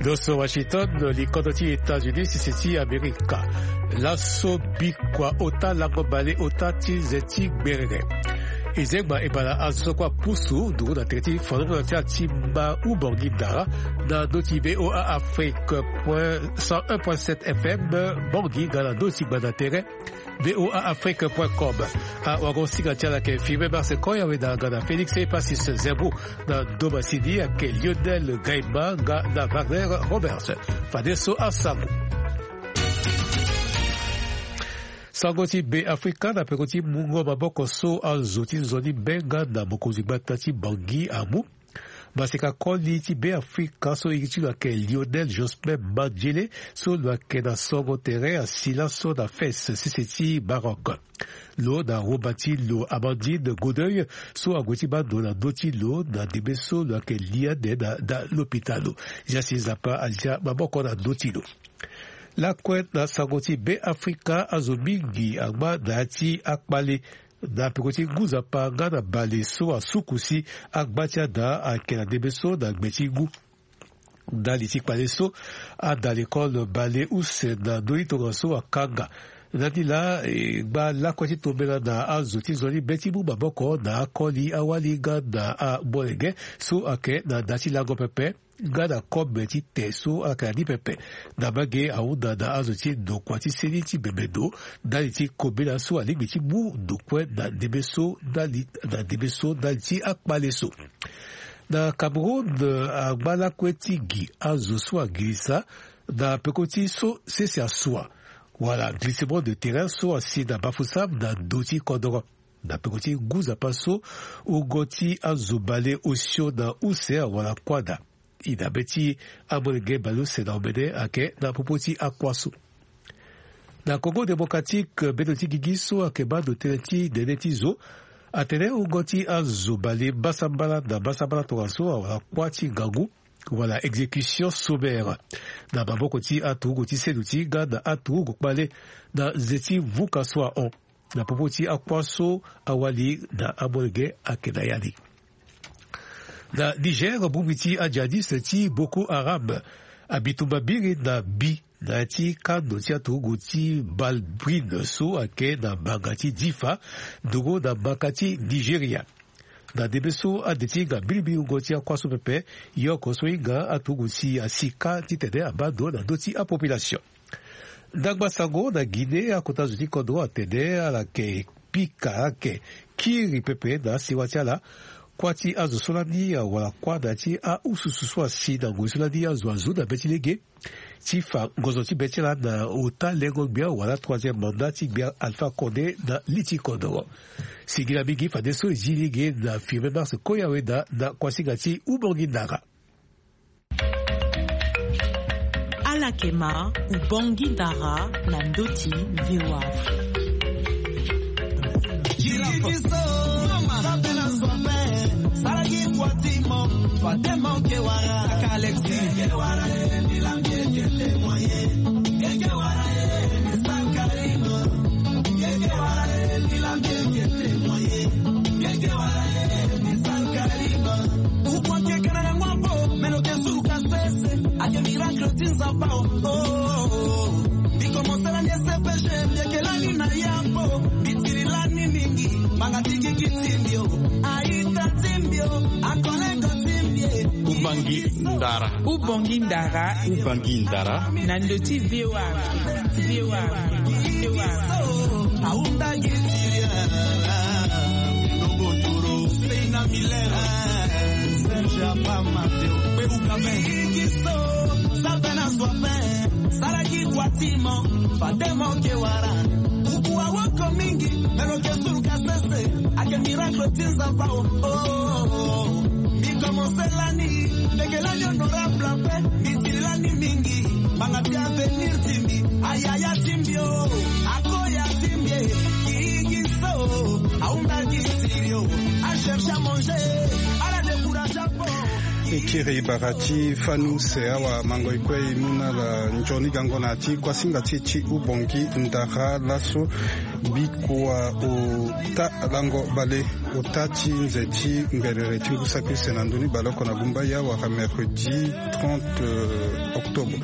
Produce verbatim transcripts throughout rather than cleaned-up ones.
Doso Washington, likodo ti États-Unis, sese ti Amerika. Laso bikua ota lango bale ota ti nze ti gberere. E zengba e bala azo so kue apusu nduru na tere ti fanongo na ti ala ti ma Ubangui Ndara na ndö ti V O A Afrique point cent un point sept F M, Bangui nga na ndö ti gbanda tere. V O A Afrique point com. Awagosinga ti ala ayeke Firmin Mars Koyaweda nga na Félix Epasis Zembo. Na ndo masini ayeke Lionel Gaima nga na Wagner Roberts. Fadeso asango. Sango ti Be Afrika na peko ti mungo maboko so azo ti nzoni be nga na mokonzi gbata ti Bangui amu. Maseka koli ti Be Afrika so iri ti lo ayeke Lionel Jospin Mandjele, so lo yeke na songo tere asi laso na Fès, sese ti Maroc. Lo na womba ti lo Amandine Godeuil, so ague ti baa ndo na ndö ti lo na ndembe so lo yeke li ande na da lopitalo. Jasi Nzapa azia maboko na ndö ti lo. Lakue na sango ti Be Afrika, azo mingi angba na ya ti akpale na peko ti ngu nzapa nga na bale so asuku si agba ti ada ayeke na ndembe so na gbe ti ngu. Ndali ti kpale so, ada lekole bale use na ndö ti tongaso akanga. Na ni laa, e gba lakue ti tombela na azo ti nzoni be ti mu maboko na akoli awali nga na amolenge so ayeke na da ti lango pepe nga na kobe ti te so ayeke na ni pepe. Na mbage ahunda na azo ti ndokua ti seni ti bembe ndo ndali ti kobela so alingbi ti mu ndo kue na ndembe so ndali, na ndembe so ndali ti akpale so. Na Cameroun, angba lakue ti gi azo so angirisa na peko ti so sese asua, wala glissement de terrain so asi na Bafoussam na ndö ti kodoro. Na peko ti ngu nzapa so, wungo ti azo bale osio na use awara kuâ daa. E na be ti amolenge bale use na omene ayeke na popo ti akua so. Na Congo Démocratique, bendo ti gigi so ayeke baa ndo tënë ti nene ti zo atene wungo ti azo bale mbasambala na mbasambala tongaso awara kuâ ti ngangu, wala exécution sommaire, na maboko ti aturugu ti seno ti hinga na aturugu kpale na nze ti vuka so ahon. Na popo ti akua so, awali na amolenge ayeke na ya ni. Na Niger, bongbi ti ajihadiste ti Boko Haram abi tumba mbiri na bi na ya ti kando ti aturugu ti Balbrine so ayeke na mbanga ti Difa, nduru na mbaka ti Nigeria. Na ndembe so ade ti hinga mbilimbili wungo ti akua so pepe, ye oko so hinga aturugu si asi kâ titene abaa ndo na ndö ti apopulation. Ndangba sango na Guinée, akota zo ti kodro atene ala yeke pika, ala yeke kiri pepe na asewa ti ala kuâ ti azo so lani awara kuâ na ya ti aususu so asi na ngoi so lani azo azo na be ti lege ti fa ngonzo ti be ti ala na ota lengo-gbia wala troisième mandat ti gbia Alpha Condé na li ti kodro. Singila mingi fadeso e zi lege na Firmin Mars Koyaweda na kuasinga ti Ubongi Ndara. Ala yeke ma Ubongi Ndara na ndö ti V O A Afrique. Ukua kekana na ngua po, meno ke suru ka sese, ake miracle ti Nzapa o. Oh, oh, oh. Biko mosala ni S P G, mbieke lani na ya po, bitiri lani mingi, banga tiki ki ti mbio, aita ti mbio, akolego ti mbie. Ubangi Ndara. Ubangi Ndara. Ubangi Ndara. Na ndö ti V O A. V O A. V O A. Aunda gitiria. Lobotoro. Seina Miller. Serge Apa Mateo. Peruka Igiso. Sabena Soifin. Saraki Kwatimo. Fatemo Kewara. Ukua woko mingi. Melo ke suru ka sese. Ake miracle ti Nzapa o. Oh, oh, oh. Mi commence lani. Mbieke lani honorable ape. Mi tiri lani mingi. Banga ti avenir ti mbi. Ayaya ti mbi o. Akoya ti mbi e. Ki, ki so. Aunda ki siri o. A cherche à manger. Ala décourage apo. E kiri bara ti fani use awa mango e kue e mu na ala nzoni gango na ya ti kuasinga ti e ti Ubongi Ndara laso. Bikua ota lango bale, ota ti nze ti ngbelere ti ngu saki use na ndö ni baleoko na gumbaya wala mercredi trente octobre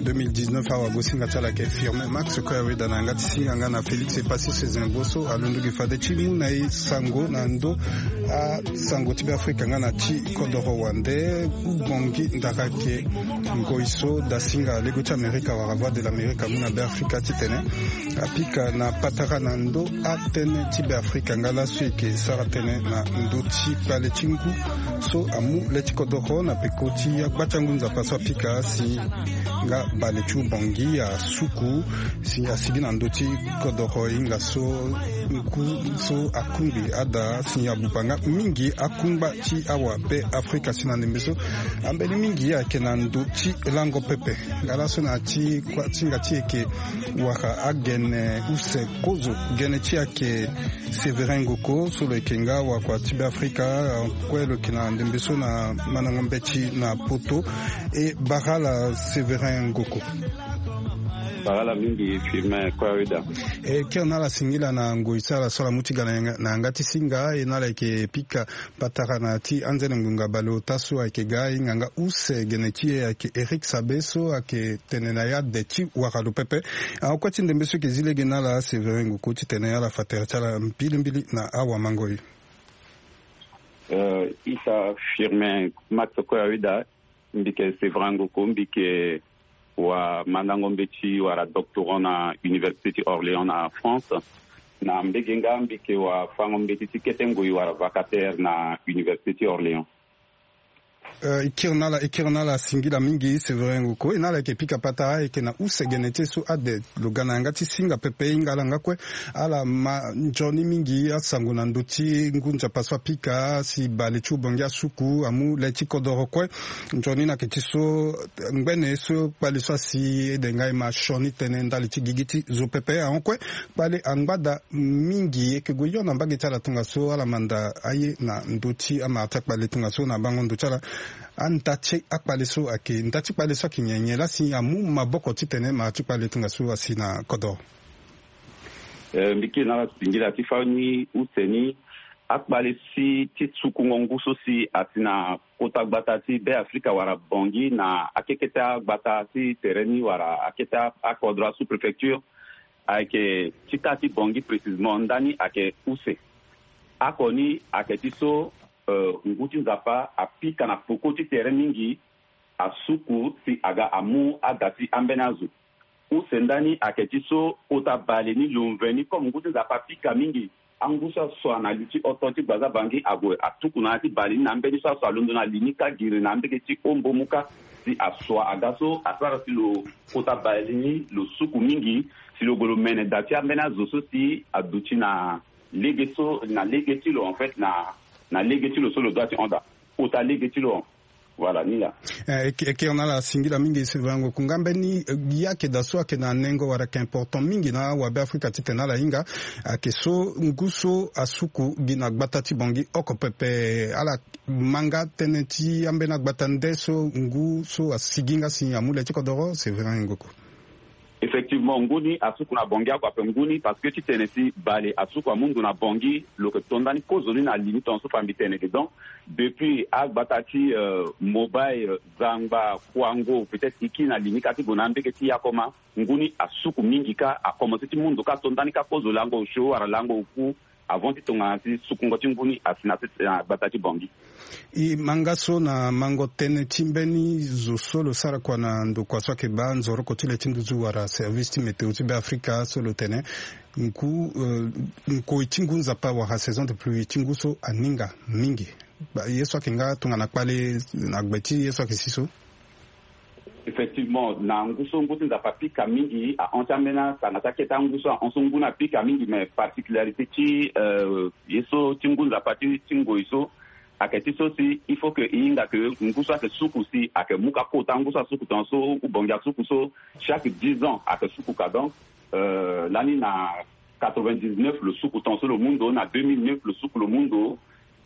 deux mille dix-neuf. Awagosinga ti ala ayeke Firmin Max Koyaweda na yanga ti singa nga na Félix Epassi Sezembo so alondo gi fade ti mu na e sango na ndö asango ti Beafrika nga na ti kodoro wande. Bongi ndara ayeke ngoi so dasinga lego ti Amerika wala Voix de l'Amérique amu na Beafrika titene apika na patara na ndö atënë ti Beafrika nga laso e yeke sara tënë na ndö ti kpale ti ngu so amu le ti kodoro na peko ti agba ti angu nzapa so apika si nga bale ti ubongi asuku si asigi na ndö ti kodoro hinga so ngu so akungbi ada si abuba nga mingi akungba ti awa Beafrika si na ndembe so ambeni mingi ayeke na ndö ti lango pepe. Nga laso na ti kua ti hinga ti e yeke wara agene use kozo gene ti e ayeke Sévérin Ngoko so lo yeke nga wakua ti Beafrika. Kue lo yeke na ndembe so na mandango mbeti na poto. E bara ala Sévérin Ngoko. Bara ala mingi Firmin Koyaweda. E kiri na ala singila na ngoi ti ala so ala mu ti ga na yanga ti singa e na ala yeke pika patara na ti anzene ngonga baleota so ayeke ga ahinga nga use gene ti e ayeke Éric Sabe so ayeke tene na ya de ti wara lo pepe. Ahon kue ti ndembe so yeke zi lege na ala Sévérin Ngoko titene ala fa tere ti ala mbilimbili na awamangoi. Isa Firmin Max Koyaweda. Mbi yeke Sévérin Ngoko, mbi yeke wamandango mbeti wala doctorant na Université ti Orléans na France. Na mbege nga mbi yeke wafango mbeti ti kete ngoi wala vacataire na Université ti Orléans. E kiri na ala, e kiri na ala singila mingi Sévérin Ngoko. E na ala yeke pika patara ayeke na use gene ti e so ade lo ga na yanga ti singa pepe hinga ala nga kue ala ma nzoni mingi asango na ndö ti ngu nzapa so apika si bale ti ubongi asuku amu le ti kodoro kue. Nzoni ni ayeke ti so ngbene so kpale so asi ede nga e ma sioni tënë ndali ti gigi ti zo pepe ahon kue. Kpale angba daa mingi e yeke gue hio na mbage ti ala tongaso ala manda aye na ndö ti amara ti akpale tongaso na bango ndo ti ala. Anda ti akpale so ayeke nda ti kpale so ayeke nyen nyen laa si amu maboko titene mara ti kpale tongaso asi na kodoro. Eh, mbi kiri na ala singila ti fani use ni akpale si ti sukungo ngu so si asi na kota gbata ti Beafrika wala Bangui na akekete agbata ti tere ni wala akete akodro a sous-préfecture. Ayeke ti taa ti Bangui précisément ndani ayeke use. Oko ni ayeke ti so, eh, ngu ti Nzapa apika na peko ti tere mingi asuku si aga amu ada ti ambeni azo. Use ndani ayeke ti so kota bale ni lo mveni ni comme ngu ti Nzapa apika mingi. Angu so asua na li ti oto ti gbaza Bangui ague atuku na ya ti bale ni na ambeni so asua alondo na li ni kâ giri na ambege ti ombomu kâ si asua aga so asara si lo kota bale ni lo suku mingi si lo gue lo mene da ti ambeni azo so si aduti na lege so na lege ti lo en fait na na lege ti lo so lo dua ti hon daa kota lege ti lo. Voilà ni laa. Eh, e kiri na ala singila mingi Sylvain Ngoku nga mbeni, eh, ye ayeke daa so ayeke na nengo wala ayeke important mingi na awabe Afrika titene ala hinga ayeke so ngu so asuku gi na gbata ti Bangui oko pepe. Ala ma nga tënë ti ambeni agbata nde so ngu so asigi nga si amu le ti kodoro Sylvain Ngoku. Effectivement ngu ni asuku na Bangui oko ape ngu ni parce que titene si bale asuku amu ndo na Bangui lo yeke to ndani kozo ni na li ni tongaso fa mbi tene ge donc depuis agbata ti, euh, Mobay, euh, Zangba, Kouango peut-être e kiri na li ni kâ ti gue na ambege ti Yakoma. Ngu ni asuku mingi kâ akomanse ti mu ndo kâ to ndani kâ kozo lango osio wala lango oku. Avant ti tongana ti sukungo ti ngu ni asi na sese na gbata ti Bangui. E ma nga so na mango tënë ti mbeni zo so lo sara kua na ndokua so ayeke baa nzoroko ti le ti nduzu wala service ti météo ti Beafrika so lo tene ngu, eh, nkoi ti ngu nzapa wala saison de pluie ti ngu so aninga mingi. Ba ye so ayeke nga tongana kpale na gbe ti ye so ayeke si so. Effectivement na ngu so ngu ti Nzapa apika mingi ahon ti ambeni asanga ti akete angu so ahon so ngu ni apika mingi mais particularité ti, euh, ye so ti ngu Nzapa ti, ti ngoi so ayeke ti so si il faut que e hinga que ngu so ayeke suku si ayeke mu ka kota ngu so asuku tongaso ou Bangui asuku so chaque dix ans ayeke suku ka donc, euh, lani na quatre-vingt-dix-neuf lo suku tongaso lo mu ndo na deux mille neuf lo suku lo mu ndo.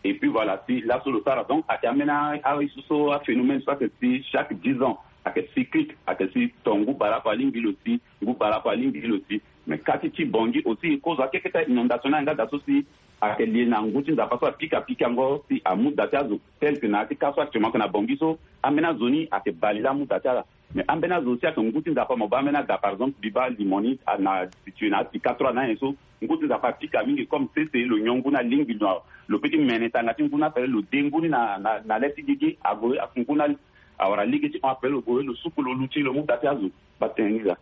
Et puis voilà si laso lo sara donc ayeke ambeni aye so so aphénomène so ayeke si chaque dix ans ayeke cyclique, ayeke si ton ngu baleoko alingbi lo si, ngu baleoko alingbi lo si. Mais kâ ti ti Bangui aussi, kozo akeketa inondation ni ayeke nga daa so si ayeke lie na ngu ti Nzapa so apika pikango si amu da ti azo. Tel que na ya ti kâ so actuellement ayeke na Bangui so, ambeni azo ni ayeke bale laa amu da ti ala. Mais ambeni azo aussi ayeke ngu ti Nzapa mo baa ambeni ada, par exemple mbi baa Limoni, na situé na apika trois na nyen so, ngu ti Nzapa apika mingi comme sese lo nyon ngu ni alingbi lo, lo peut ti mene tanga ti ngu ni ape, lo de ngu ni na, na, na le ti gigi ague, ngu ni awara lege ti hon ape, lo gue lo suku lo luti lo mu da ti azo. Baa tënë ni laa.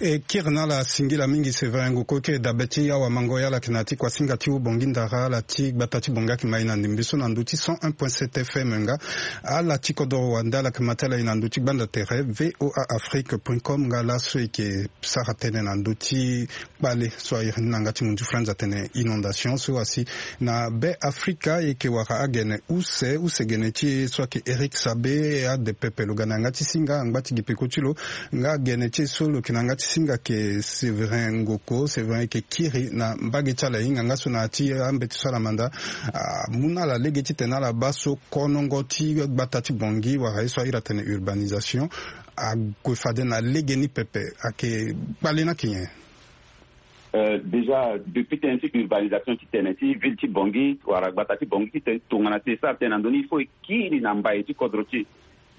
E kiri na ala singila mingi Séverin Ngoko, e kiri dabe ti awamango ya ala yeke na ya ti kuasinga ti Haut-Bangui Ndara, ala ti gbata ti Bangui ayeke ma e na ndembe so na ndö ti cent un point sept F M nga. Ala ti kodoro wande ala yeke ma ti ala e na ndö ti gbanda tere V O A Afrique point com nga laso e yeke sara tënë na ndö ti kpale so a iri ni na yanga ti mondiou frenz atene inondation so asi na Be Afrika. E yeke wara agene use, use gene ti e so ayeke Eric Sabe, ade pepe lo ga na yanga ti singa angba ti gi peko ti lo. Nga gene ti e so lo yeke na yanga ti singa ayeke Séverin Ngoko. Séverin e yeke kiri na mbage ti ala e hinga nga so na ya ti ambeti so ala manda amu na ala lege titene ala baa so konongo ti gbata ti Bangui wala ye so a iri atene urbanisation ague fade na legeni pepe. Ayeke kpale ni ayeke nyen? Euh, déjà depuis tënë ti urbanisation ti tene ti ville ti Bangui wala gbata ti Bangui ti tene tongana ti e sara tënë na ndö ni, il faut e kiri na mbai ti kodro ti e.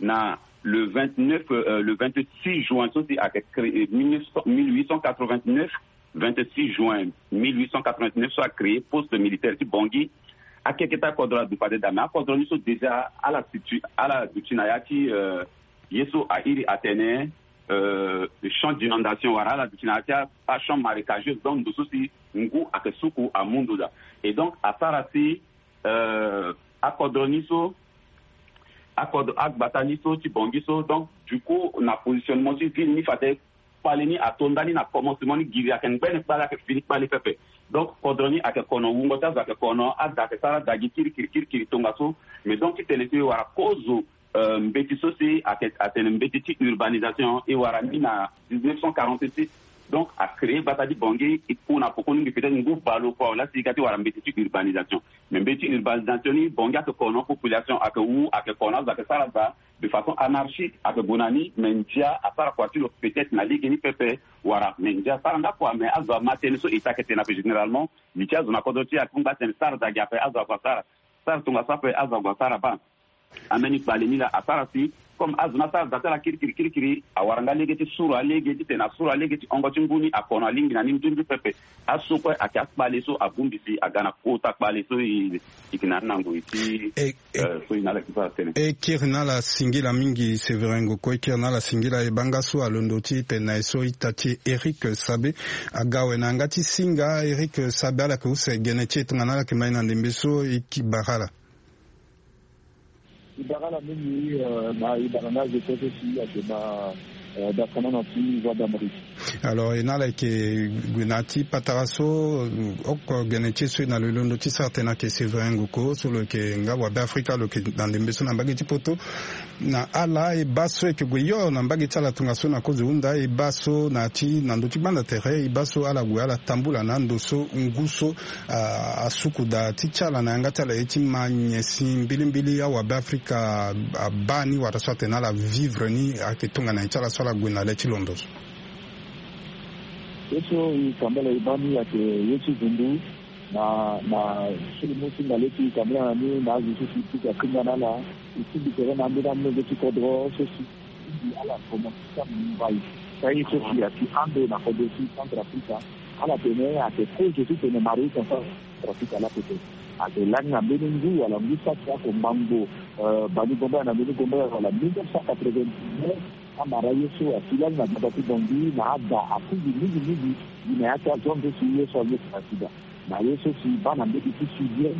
Na le vingt-neuf, euh, le vingt-six juin so si ayeke créé, mille neuf cent, mille huit cent quatre-vingt-neuf, vingt-six juin mille huit cent quatre-vingt-neuf so acréé poste militaire ti Bangui. Akeketa kodro aduti fade daa, mais akodro ni so déjà ala situé, ala duti na ya ti, euh, ye so a iri atene, euh, champ d'inondation wala ala duti na ya ti a, a champ marécageux, donc ndo so si ngu ayeke suku amu ndo daa. Et donc asara si, euh, akodro ni so, akodro, agbata ni so ti Bangui so, donc du coup na positionnement ti ville ni fade kpale ni ato ndani na commencement ni, giri ayeke ngbene kpale, ayeke fini kpale pepe. Donc kodro ni ayeke kono, wungo ti azo ayeke kono, ada ayeke sara ada gi kirikiri kirikiri tongaso. Mais donc titene si e wara kozo, euh, mbeti so si ayeke atene mbeti ti urbanisation, e wara ni na dix-neuf cent quarante-six. Donc acréé gbata ti Bangui, e ku na poko ni ngi peut-être ngu baleoko awe laa si e ga ti wara mbeti ti urbanisation. Mais mbeti ti urbanisation ni, Bangui ayeke kono, population ayeke wu, ayeke kono, azo ayeke sara ada de façon anarchique, ayeke gue na ni. Mais ndia asara kua ti lo peut-être na lege ni pepe wala, mais ndia asara nga kua, mais azo ama tënë so e ta ayeke tene ape généralement. Li ti azo na kodro ti e ayeke hunda atene sara da gi ape, azo ague asara, sara tongaso ape, azo ague asara baa. Ambeni kpale ni laa asara si, comme azo ni asara da ti ala kirikiri kirikiri, awara nga lege ti suru alege titene asuru alege ti hongo ti ngu ni akono alingbi na ni nzunzu pepe. Aso kue ayeke akpale so abongbi si aga na kota kpale so e, e yeke na ni na ngoi ti, eh, so e na ala yeke sara tënë. E kiri na ala singila mingi Séverin Ngoko, e kiri na ala singila. E baa nga so alondo ti tene na e so ita ti e Eric Sabe aga awe na yanga ti singa. Eric Sabe, ala yeke use gene ti e tongana ala yeke ma e na ndembe so, e yeke bara ala. E bara ala mingi, euh, na e bara nga zo kue so si ayeke na, euh, dakanana ti Voix d'Amérique. Alors e na ala yeke gue na ya ti patara so, euh, oko gene ti e so e na lo e londo ti sara tënë ayeke Séverin Ngoko so lo yeke nga wabe Afrika, lo yeke na ndembe so na mbage ti poto. Na ala e baa so e yeke gue yo na mbage ti ala tongaso na kozo hunda, e baa so na ya ti na ndö ti gbanda tere, e baa so ala gue ala tambula na ando so ngu so, ah, asuku daa ti ti ala na yanga ti ala ye ti ma nyen si mbilimbili awabe Afrika abaa ni wala so atene ala vivre ni ayeke tongana nyen ti ala so ala gue na le ti londo so. Ye so e kambala e baa ni ayeke ye ti vundu na, na so e mu ti ngale ti e kambala na ni na azo so si e pika kringa na ala, e tingbi tere na ambeni amolenge ti kodro so si e tingbi ala komanse ti amu mbai. Ka ye so si ayeke ande na kodro ti Centrafrique. Ala tene ayeke kozo titene Maroc na Centrafrique ala pepe. Ayeke lani na mbeni ngu wala ngu saki oko ngbangbo, euh, bani gombe na mbeni gombe wala mille neuf cent quatre-vingt-dix-neuf, amara ye so asi lani na gbata ti Bangui na ada atingbi mingi mingi gi na ya ti azo ande so ye so ande si na sida. Na ye so si baa na mbege ti sudien,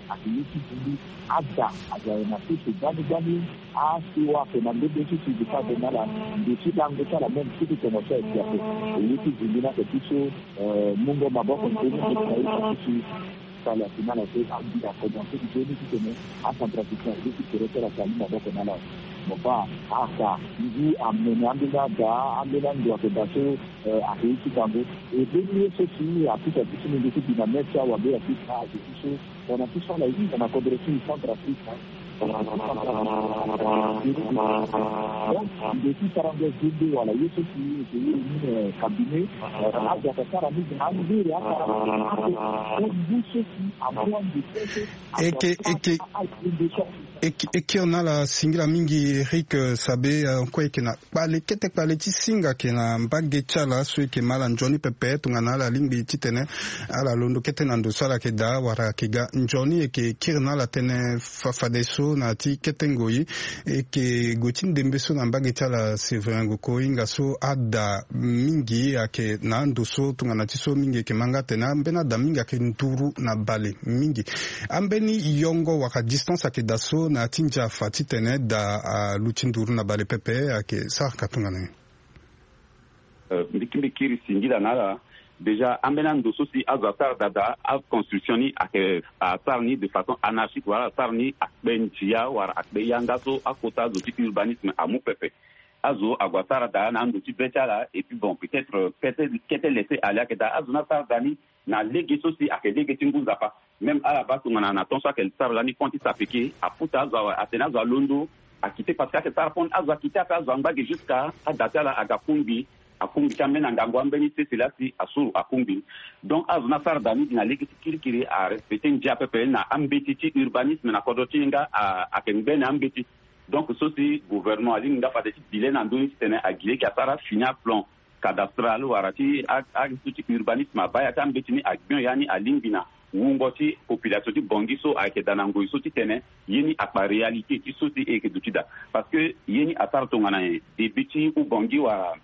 ake ye ti vundu, ada aza na sese gbani gbani. Asiwa ake na mbege so si gi fa azo na ala nde ti lango ti ala même ti ti tongo so ayeke ape. E ye ti vundu ni ake ti so, euh, mungo maboko nzoni ti na ye ti si. Sala ti na ala so andi akomanse ti nzoni titene aCentrafricain aye ti tere ti ala si amu maboko na ala. Mo baa aka ngu amene ambeni ada, ambeni ando ayeke daa so, eh, ayeke ye ti kango. E mbeni ye so si apika ti so ni nde ti bi na mê ti awabe ayeke ti so tongana ti so ala hinga na kodro ti Centrafrique. Donc, ndeti sara nde zende wala ye so si eke ye ni, eh, cabinet, eh, azo aka sara mingi na angere akara ako ngu so si amua nde tete. Eke, eke, eke, eke na ala singila mingi Eric, eh, Sabe, eh, kue eke na kpale kete kpale ti singa eke na mbage ti ala so eke ma ala nzoni pepe tongana ala lingbi titene ala londo kete na ndo so ala yeke daa wala eke ga nzoni. Eke kiri na ala tënë fa-, fadeso na ya ti kete ngoi. Eke gue ti ndembe so na mbage ti ala Séverin Ngoko, hinga so ada mingi ayeke na ando so tongana ti so mingi eke ma nga atene ambeni ada mingi ayeke nduru na bale mingi. Ambeni yongo wala distance ayeke daa so na ya ti ndia fa titene da aluti nduru na bale pepe ayeke saraka tongana nyen? Euh, mbi ki mbi kiri singila na ala. Déjà, ambeni ando so si azo asara daa daa, aconstruction ni ayeke asara ni de façon anarchique, wala asara ni akpe ndia wala akpe yanga so akota azo ti urbanisme amu pepe. Azo ague asara daa na ando ti be ti ala, et puis bon, peut-être, euh, kete, kete laisser aller ayeke daa. Azo ni asara daa ni na lege so si ayeke lege ti ngu nzapa. Même ala baa tongana na temps so ayeke sara lani pont ti Sapeke, aputa azo awe, atene azo alondo akite parce que ayeke sara pont, azo akite ape, azo angba ge jusqu'à ada ti ala aga kungbi, akungbi ti ambeni angangu ambeni sese laa si asuru akungbi. Donc azo ni asara daa ni gi na lege ti kirikiri, arespecte ndia pepe na ambeti ti urbanisme na kodro ti e nga, a, ayeke ngbene ambeti. Donc so si gouvernement alingbi nga fade ti bi le na ndö ni titene agi lege asara fini aplan cadastral wala ti a, a, ti urbanisme abaa ya ti ambeti ni, agbio ya ni alingbi na wungo ti population ti Bangui so ayeke daa na ngoi so titene ye ni akpa réalité ti so si e yeke duti daa. Parce que ye ni asara tongana nyen? Débit ti Oubangui wala,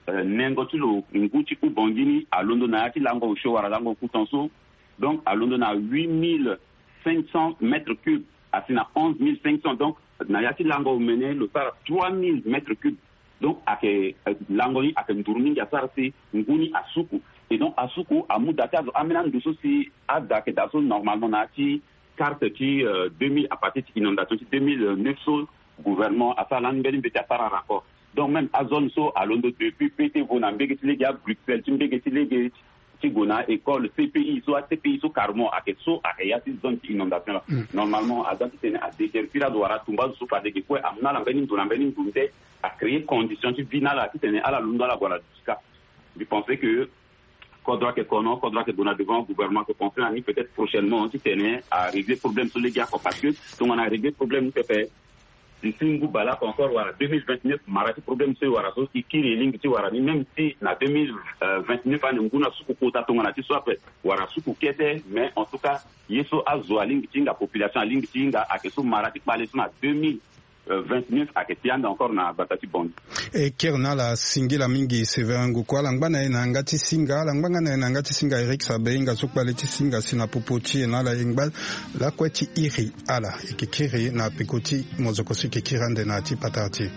euh, nengo ti lo ngu ti Oubangui ni alondo na ya ti lango osio wala lango okutan so. Donc alondo na huit mille cinq cents mètres cubes, asi na onze mille cinq cents. Donc na ya ti lango omene lo sara trois mille mètres cubes. Donc ayeke, euh, lango ni ayeke nduru mingi asara si ngu ni asuku. Et donc asuku amu daa ti azo ambeni ando so si ada ayeke daa so normalement na ya ti carte ti, euh, deux mille, à partir ti inondation ti deux mille neuf so gouvernement asara lani mbeni mbeti asara rapport. Donc même azone so alondo depuis P T V na mbege ti lege, a Bruxelles ti mbege ti lege ti gue na école, C P I so, a C P I so carrément ayeke so ayeke ya ti zone ti inondation laa. Mm. Normalement aza titene adéguerpir azo wala atumba azo so fade ge kue amu na ala mbeni ndo na mbeni ndo nde acréer condition ti vie na ala titene ala londo ala gue ala duti kâ. Mbi pense que kodro ayeke kono, kodro ayeke gue na devant, gouvernement ayeke pense na ni peut-être prochainement titene arégler problème so lege oko, parce que tongana arégler problème ni pepe, d'ici ngu bale oko encore wala deux mille vingt-neuf, mara ti problème so e wara so e kiri e lingbi ti wara ni, même si na deux mille vingt-neuf ane ngu ni asuku kota tongana ti so ape, wala asuku kete, mais en tout cas ye so azo alingbi ti hinga, population alingbi ti hinga ayeke so mara ti kpale so na deux mille vingt-neuf ayeke ti ande encore na gbata ti Bangui. E kiri na ala singila mingi Séverin Ngoko, ala ngba na e na yanga ti singa, ala ngba nga na e na yanga ti singa Eric Sabe, hinga so kpale ti singa si na popo ti e na ala e ngba lakue ti iri ala. E yeke kiri na peko ti mozoko so e yeke kiri ande na ya ti patara ti e.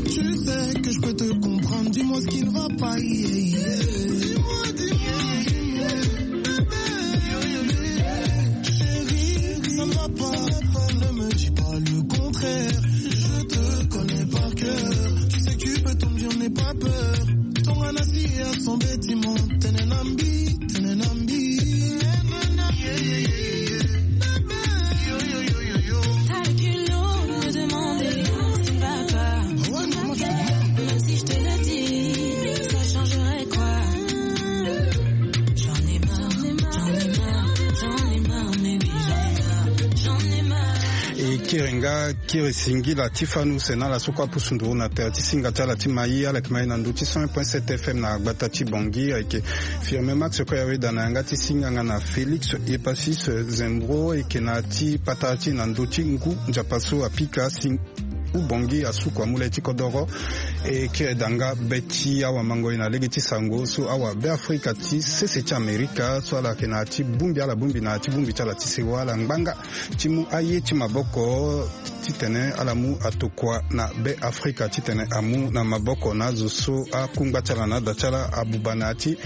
Tu sais que je peux te comprendre, dis-moi ce qui ne va pas. Yeah, yeah. Dis-moi, dis-moi. Chérie, ça ne va pas, ne me dis pas le contraire. Je te connais par cœur. Tu sais que tu peux tout me dire, n'aie pas peur. Ton anasi a son bâtiment. Tenenambi, tenenambi. T'as le culot de demander ce qui ne va pas. Même si je te le dis, ça changerait quoi? J'en ai marre, j'en ai marre, j'en ai marre, mais oui, j'en ai marre, j'en ai marre. E kiri nga, kiri singila ti fanu sena ala so kue apusu nduru na tere ti singa ti ala ti mai, ala yeke mai na ndö ti cent un point sept F M na gbata ti Bangui, ayeke Firme Max kue aweda na yanga ti singa nga na Félix Epasis Zembro, e yeke na ya ti patara ti e na ndö ti ngu nzapa so apika sing- Bongi asuku amu le ti kodoro. E kiri daa nga be ti awamangoi na lege ti sango so awabeafrika ti sese ti amerika so ala yeke na ya ti bongbi, ala bongbi na ya ti bongbi ti ala ti sewa ala ngbanga ti mu aye ti maboko titene ala mu atokua na beafrika titene amu na maboko na azo so akungba ti ala na ada ti ala abuba na ya ti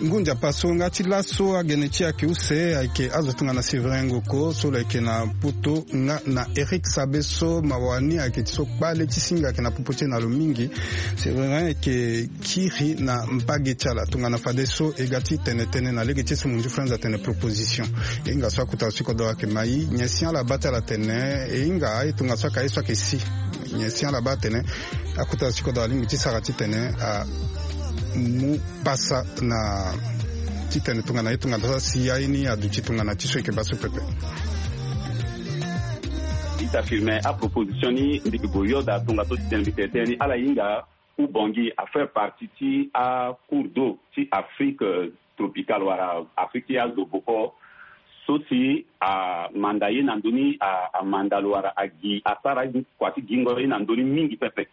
ngu nzapa so nga ti laso agene ti ayeke use ayeke azo tongana Séverin Ngoko so lo yeke na poto nga na Eric Sabe so mawa ni ayeke ti so kpale ti singa ayeke na popo ti e na lo mingi. Séverin ayeke kiri na mbage ti ala tongana fadeso e ga ti tene tënë na lege ti so monzu franz atene proposition. E hinga so akota lo ti kodoro ayeke mai nyen si ala baa ti ala atene e hinga aye tongaso ayeke aye so ayeke si nyen si ala baa atene akota lo ti kodoro alingbi ti sara titene amu pasa na titene tongana ye tongana so asi aye ni aduti tongana ti so e yeke baa so pepe. Ita firme aproposition ni mbi ke gue yo daa tongaso titene mbi tene tënë ni ala hinga. Ubongi afaire partie ti acours d'eau ti afrique tropicale wala afrique ti azo boko so si amanda ye na ndö ni amanda lo wala agi asara kua ti gingo ye na ndö ni mingi pepe.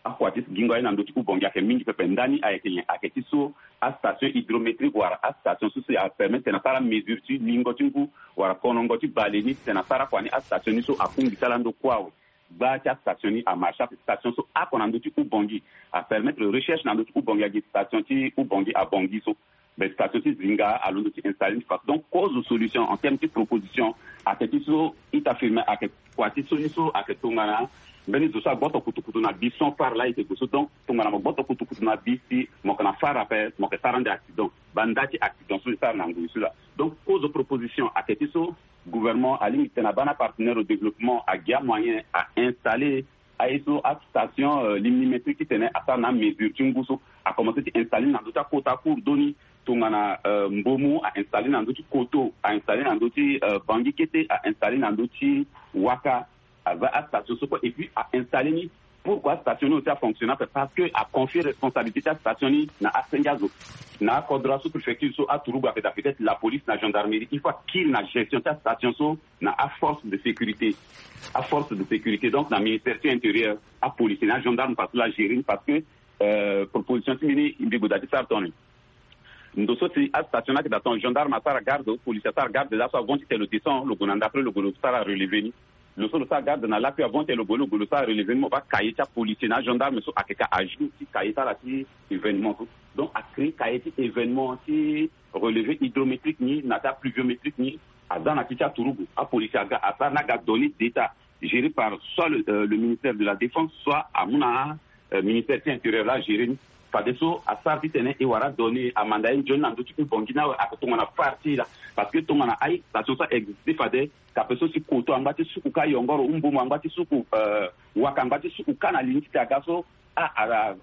Akua ti gingo aye na ndö ti ubongi ayeke mingi pepe ndani ayeke nyen ayeke ti so astation hydrométrique wala astation so si apermettre tena sara mesure ti lingo ti ngu wala konongo ti bale ni tena sara kua ni astation ni so akungi ti ala ndo kue awe. Gba ti astation ni amarche ape station so ako na ndö ti ubongi apermettre recherche na ndö ti ubongi agi station ti ubongi abongi so. Mais station ti zinga alondo ti installer ni façon donc cause solution en terme ti proposition ayeke ti so ita firme ayeke kua ti so ni so ayeke tongana mbeni zo so agboto kutukutu na bi son far la ete gue so donc tongana mo gboto kutukutu na bi si mo yeke na far ape mo yeke sara ande accident. Banda ti accident so e sara na ngoi so la donc cause proposition ayeke ti so gouvernement alingbi tena bana partenaire au développement agi amoyen a installer aye so astation limnimétrique titene asara na amesure ti ngu so akomense ti installer na ndö ti akota cours d'eau ni tongana mbomu a installer na ndö ti koto a installer na ndö ti bangi kete a installer na ndö ti waka aza astation so kue et puis a installer ni pourquoi astation ni aussi afonctionne ape parce que aconfie responsabilité ti astation ni na asenge azo na akodro asous-préfecture so aturugu ape daa peut-être la police na gendarmerie il faut akiri na gestion ti astation so na aforce de sécurité aforce de sécurité donc na ministère ti intérieur apolicier na agendarme parce que la gérer ni parce que proposition ti mbi ni mbi gue daa ti sara tongana ni ndo so si astation ni ayeke daa tongana gendarme asara garde policier asara garde laso avant ti tene lo descend lo gue na ndapre lo gue lo sara relever ni lo so lo sara garde na lakui avant ti tene lo gue lo gue lo sara relever ni mo baa cahier ti apolicier na agendarme so ayeke ka ajour ti cahier ti ala ti événement so donc acréer cahier ti événement ti relever hydrométrique ni na ti apluviométrique ni aza na ti ti aturugu apolicier aga asara ni aga donner d'état géré par soit le, euh, le ministère de la défense soit amu na euh, ministère ti intérieur la géré ni fadeso asara titene e wara donné amanda ye nzoni na ndö ti ubongi ni awe ake tongana far ti e la parce que tongana aye station so a existe fade kape so si koto angba ti suku ka yongoro umbumu angba ti suku euh, waka angba ti suku ka na li ni titene aga so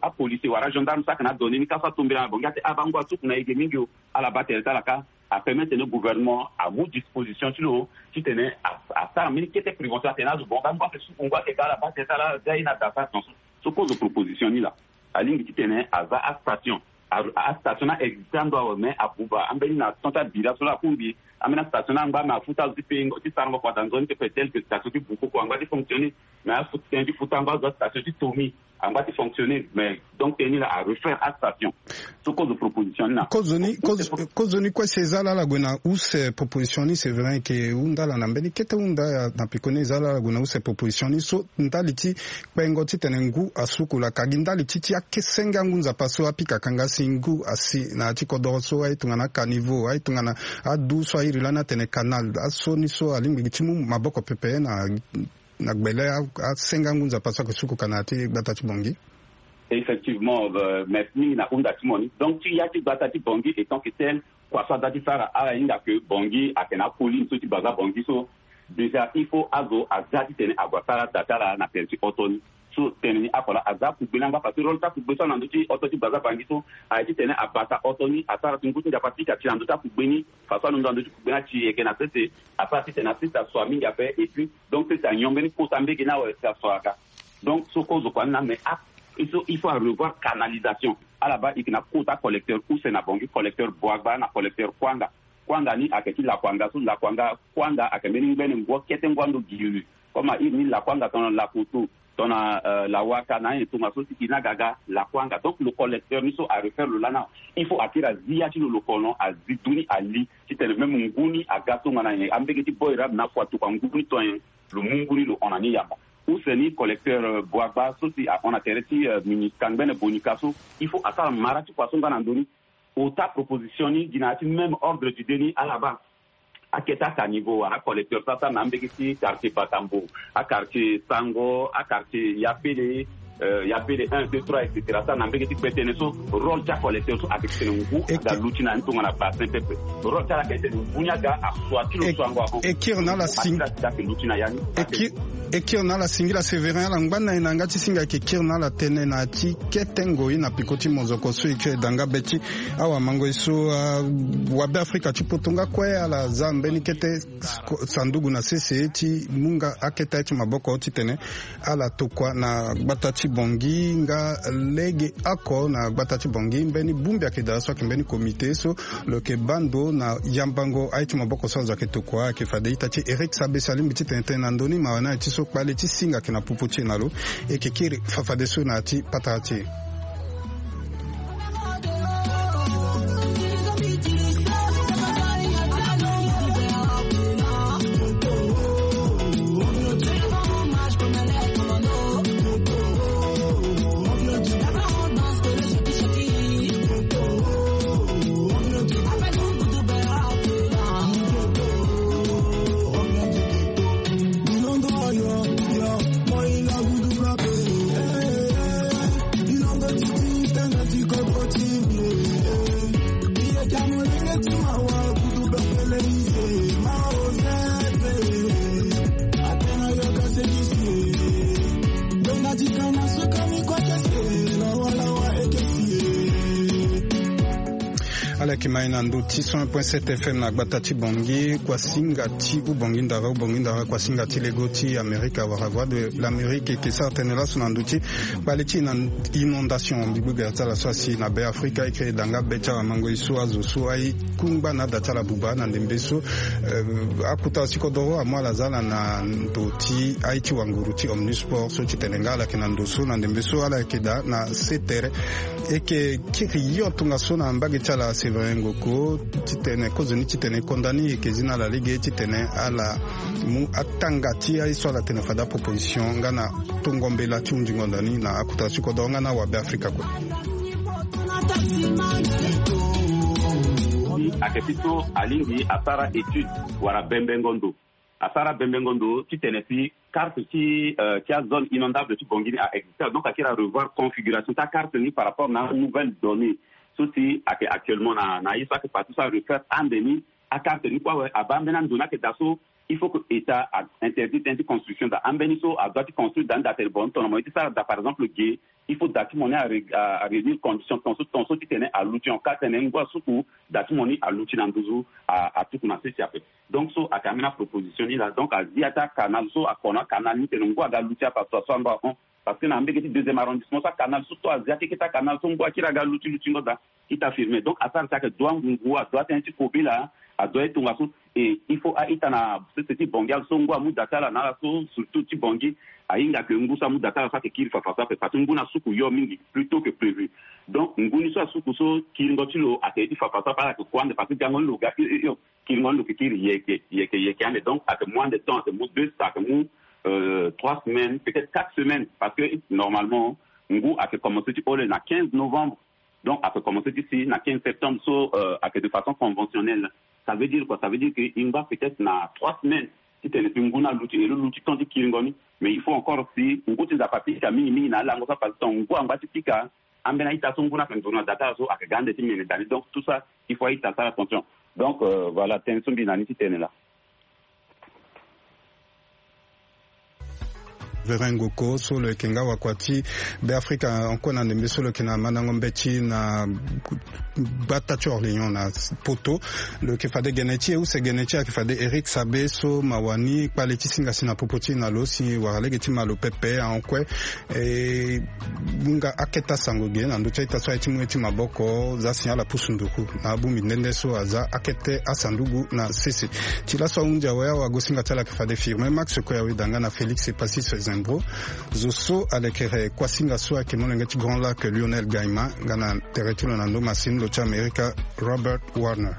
apolice wala agendarme so ake na adonné ni ka so atombela na bongi ate abango asuku na ege mingi o ala baa tere ti ala ka apermettre tene gouvernement amu disposition ti lo titene asara mbeni kete prévention atene azo bongo angba ake suku ngba ake ka ala baa tere ti ala ga ye na da sara tonso so kozo proposition ni laa alingbi titene aza astation astation ni a existe ando awe mais abuba ambeni na temps ti abira so laa akungbi ambeni astation ni angba mais afuta azo ti pengo ti sarango kua daa nzoni ti pe tel que station ti bukoko angba ti fonctionner mais afuta tënë ti futa angba azo astation ti tomi angba ti fonctionner mais donc tënë ni laa arefaire astation so kozo proposition ni na kozo ni kozo ni kue si eza laa ala gue na use proposition ni c'est vrai ke hunda ala na mbeni kete hunda na peko ni eza laa ala gue na use proposition ni so ndali ti kpengo titene ngu asuku laka gi ndali ti ti akesenge angu nzapa so apikaka nga si ngu asi na ya ti kodoro so aye tongana akaniveau aye tongana adu so airi lani atene canal aso ni so alingbi ti mu maboko pepe na na gbele asenga ngu nzapa so ake suku kana ti gbata ti bongi. Effectivement euh, merci mingi na hunda ti mo ni donc ti ya ti gbata ti bongi étant que tel kua so ada ti sara ala hinga ke bongi ake na akoli ni so ti baza bongi so déjà il faut azo aza titene ague asara da ti ala na tere ti oto ni so tene ni ako laa aza akugbe ni angba parce que rôle ti akugbe so ana ndö ti oto ti baza bangi so aye titene abata oto ni asara ti ngu ti nzapa ti ka ti na ndö ti akugbe ni façon alondo na ndö ti kugbe ni ati yeke na sese asara titene asese aso mingi ape et puis donc sese anyon mbeni kota mbege ni awe si aso aga donc so kozo kua ni na mais a so il faut arevoir canalisation ala baa eke na kota collecteur use na bongi collecteur boagba na collecteur kuanga kuanga ni ayeke ti lakuanga so lakuanga kuanga ayeke mbeni ngbene ngua kete ngua ndo giri Comme a iri ni lakuanga tongana lakoto, tongana lawaka na anyen tongaso ti kiri ni aga aga lakuanga. Donc lo collecteur ni so a refaire lo lana, il faut a kiri azi ya ti lo lo kono, azi du ni ali titene même ngu ni aga tongana nyen, ambege ti boy rab na afu atokua ngu ni to nyen, lo mu ngu ni lo hon na ni yamba. Use ni collecteur boagba so si ahon na tere ti mini kangbene bonika so, il faut asara mara ti kua so nga na ndo ni. Ota proposition ni gi na ya ti même ordre du deni ala baa akete aka niveau wala acollecteur so asara na ambege ti quartier Batambo, aquartier Sango, aquartier Yapele, Yapele un deux trois et cetera, asara na ambege ti kpe tënë so. Rôle ti acollecteur so ayeke tene ngu aga luti na ni tongana bassin pepe. Rôle ti ala ayeke tene ngu ni aga asua ti lo so ango ahon. E kiri na ala sing- Asila ti ayeke luti na ya ni. E kiri na ala singila Séverin, ala ngba na e na yanga ti singa ayeke kiri na ala tënë na ya ti kete ngoi na peko ti mozoko so e kiri e da nga be ti awamango e so. Wabe Afrika ti poto nga kue ala za mbeni kete sanduku na sese ti mu nga akete aye ti maboko titene ala tokua na gbata ti Bangui nga lege oko na gbata ti Bangui. Mbeni bongbi ayeke daa so ayeke mbeni comité so lo yeke baa ndo na yambango aye ti maboko so azo ayeke tokua. Ayeke fade ita ti Eric Sabesi alingbi titene tene na ndo ni mawa ni aye ti so kpale ti singa ayeke na popo ti e na lo. E yeke kiri fafadeso na ya ti patara ti e. Ala yeke ma e na ndo ti cent un point sept F M na gbata ti Bangui. Kuasinga ti Ubangui Ndara, Ubangui Ndara, kuasinga ti lego ti Amerika wala Voix de l'Amérique, e yeke sara tënë laso na ndo ti kpale ti e na inondation. Mbi gbu gbera ti ala so asi na Be Afrika, e kiri e da nga be ti awamango e so azo so aye kungba na ada ti ala buba na ndembe so. Akota si kodoro amu ala za ala na ndo ti aye ti wanguru ti Omnisport so titene nga ala yeke na ndo so na ndembe so ala yeke daa na sete tere. E yeke kiri yo tongaso na mbage ti ala Séverin Ngoko titene kozoni titene konda ni e yeke zi na ala lege titene ala mu atanga ti aye so ala tene fade aproposition nga na tongo mbela ti hunzingo ndo ni na akota si kodoro nga na awabe Afrika kue. Ayeke ti so alingbi asara étude wala bembengo ndo. Asara bembengo ndo titene si carte ti ti azone inondable ti Bangui ni a existe, donc akiri arevoir configuration ti acarte ni par rapport na nouvelle donnée so si ayeke actuellement na na ye so ayeke parti so arefaire ande ni. Acarte ni kue awe abaa ambeni ando ni ayeke daa so il faut que état a interdit tënë ti construction daa ambeni so adoit ti construire daa ni daa tene bon tongana mo ye ti sara daa par exemple ge il faut da ti mo ni aréunir condition tonso tonso titene aluti en cas tene ngu asuku da ti mo ni aluti na nduzu atuku na sese ape. Donc so ayeke ambeni aproposition ni laa. Donc azi ya ti acanal so akono acanal ni tene ngu aga luti ape aso aso ango ahon. Parce que na mbege ti deuxième arrondissement so acanal so to azi akeke ti acanal so ngu akiri aga luti lutingo daa. Ita firme donc asara si ayeke dua ngungu adua tënë ti kobela adua ye tongaso. Et il faut a-ita na sese ti Bangui ala so ngu amu da ti ala na ala so surtout ti Bangui ahinga ke ngu so amu da ti ala so ayeke kiri fafa so ape parce que ngu ni asuku yo mingi plus tôt que prévu. Donc ngu ni so asuku so kiringo ti lo ayeke ye ti fafa so ape ala yeke kue ande parce que gango ni lo ga hio hio hio. Kiringo ni lo yeke kiri yeke yeke yeke ande donc ayeke mu ande temps ayeke mu deux ayeke mu trois semaines peut-être quatre semaines parce que normalement ngu ayeke commence ti hole na quinze novembre. Donc ayeke commence ti si na quinze septembre so ayeke de façon conventionnelle. Ça veut dire quoi? Ça veut dire que e ngba peut-être na trois semaines titene si ngu ni aluti e lo luti temps ti kiringo ni. Mais il faut encore si ngu ti nzapa pika mingi mingi na alango so apasse temps ngu angba ti pika. Ambeni a-ita so ngu ni ayeke nduru na da ti ala so ayeke ga ande ti mene daa ni donc tout ça il faut a-ita asara attention. Donc voilà tënë so mbi na ni ti tene laa. Vérin Ngoko so lo yeke nga wakua ti Beafrika, ankue na ndembe so lo yeke na mandango mbeti na gbata ti Orléans na poto. Lo yeke fade gene ti e, use gene ti e ayeke fade Éric Sabé so ma wani kpale ti singa si na popo ti e na lo si wara lege ti ma lo pepe ankue. E, hunga akete asango ge na ndö ti a-ita so aye ti mu ye ti maboko za si ala pusu nduru na abongbi nde nde so aza akete asandugu na sese. Ti laso ahunzi awe awagosinga ti ala ayeke fade Firmin Max Koyawe, danga na Félix Epassis Zembro. Zo so alekere kuasinga so ayeke molenge ti Grand Lac, Lionel Gaima, nga na tere ti lo na ndo masini lo ti Amerika, Robert Warner.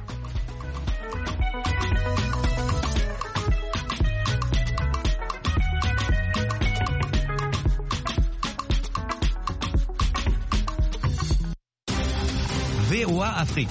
V O A Afrique.